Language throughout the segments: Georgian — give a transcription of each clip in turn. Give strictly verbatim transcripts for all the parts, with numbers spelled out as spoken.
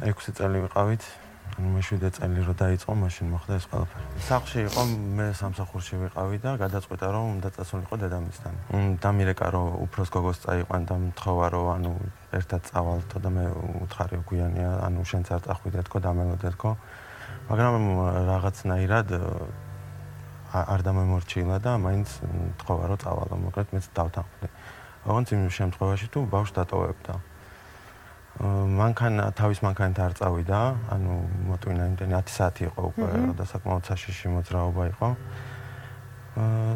ექვსი წელი ვიყავით. მეშვიდე წელი რო დაიწყო, მაშინ მოხდა ეს ყველაფერი. სახლში იყო, მე სამსახურში ვიყავი და გადაწყვიტა რომ უნდა წასულიყო დედამისთან. დამირეკა რომ უფროს გოგოს წაიყვან და მთხოვა რომ ანუ ერთად წავალთო და მე უთხარი გვიანია, ანუ შენც არ წახვიდე თქო, დამელოდეთქო. მაგრამ რაღაცნაირად არ დამემორჩილა და მაინც მთხოვა რომ წავალო, მოკლედ მეც დავთანხმდი. ოღონდ იმ შემთხვევაში თუ ბავშვს დატოვებდა. მანქანა თავის მანქანით არ წავიდა, ანუ მოტვინა იმდენი ათი საათი იყო უკვე და საკმაოდ საშიში მოძრაობა იყო. აა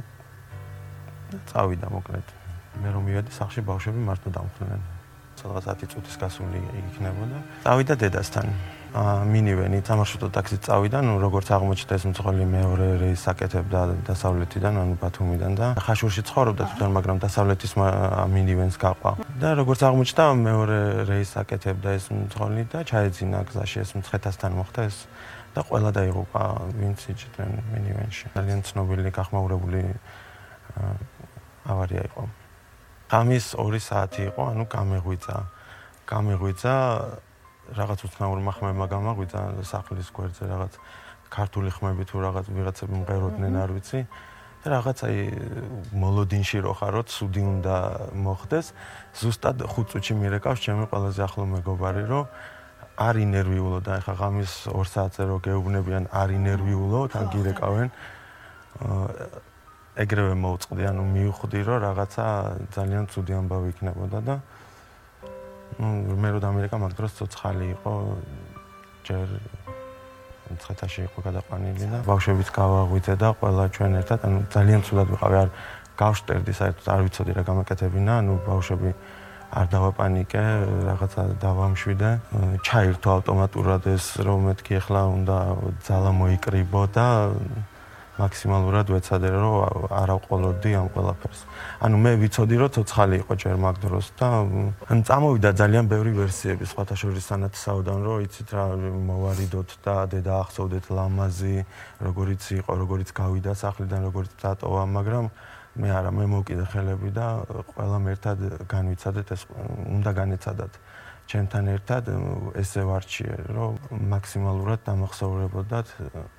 წავიდა მოკლედ. მე რომ მივედი სახლში ბავშვები მარტო დამხდნენ. სადღაც ათი წუთის გასული იქნებოდა. წავიდა დედასთან. აა მინივენი სამარშრუტო ტაქსით წავიდა, ну როგორც აღმოჩნდა ეს მძღოლი მეორე რეისს აკეთებდა დასავლეთიდან, ანუ ბათუმიდან და ხაშურში ცხოვრობდა თვითონ, მაგრამ დასავლეთის მინივენს გაყვა. და როგორც აღმოჩნდა მეორე რეისს აკეთებდა ეს მძღოლი და ჩაეძინა გზაში ეს მცხეთასთან მოხდა ეს და ყველა დაიღუპა, ვინც იჭდნენ მინივენში. ძალიან ცნობილი გახმაურებული ავარია იყო. ღამის ორი საათი იყო, ანუ გამეღვიძა. გამეღვიძა რაღაც უცნაურმა ხმებმა გამაღვიძა სახლის გვერდზე რაღაც ქართული ხმები თუ რაღაც ვიღაცები მღეროდნენ არ ვიცი და რაღაც აი მოლოდინში რო ხარო ცუდი უნდა მოხდეს ზუსტად ხუთ წუთში მირეკავს ჩემი ყველაზე ახლო მეგობარი რომ არ ინერვიულო და ეხა ღამის ორ საათზე რო გეუბნებიან არ ინერვიულო თან გირეკავენ ეგრევე მოვწყდი ანუ მივხვდი რომ რაღაცა ძალიან ცუდი ამბავი იქნებოდა და მე რო დამირეკა მაგ დროს ცოცხალი იყო ჯერ მცხეთაში იყო გადაყვანილი და ბავშვებიც გავაღვიძე და ყველა ჩვენ ერთად ანუ ძალიან ცუდად ვიყავი არ გავშტერდი საერთოდ არ ვიცოდი რა გამაკეთებინა ანუ ბავშვები არ დავაპანიკე რაღაცა დავამშვიდე ჩაირთო ავტომატურად ეს რომ მეთქი ახლა უნდა ძალა მოიკრიბო და მაქსიმალურად ვეცადე რომ არ ავყოლოდი ამ ყველაფერს. ანუ მე ვიცოდი რომ ცოცხალი იყო ჯერ მაგ დროს და ან წამოვიდა ძალიან ბევრი ვერსიები სხვათა შორის სანათსაოდან რომ იცით რა მოვარიდოთ და დედა ახსოვდეთ ლამაზი როგორიც იყო როგორიც გავიდა სახლიდან როგორიც დატოვა მაგრამ მე არა მე მოვკიდე ხელები და ყველამ ერთად განვიცადეთ ეს უნდა განეცადათ ჩემთან ერთად ესე ვარჩიე რომ მაქსიმალურად დამახსოვრებოდათ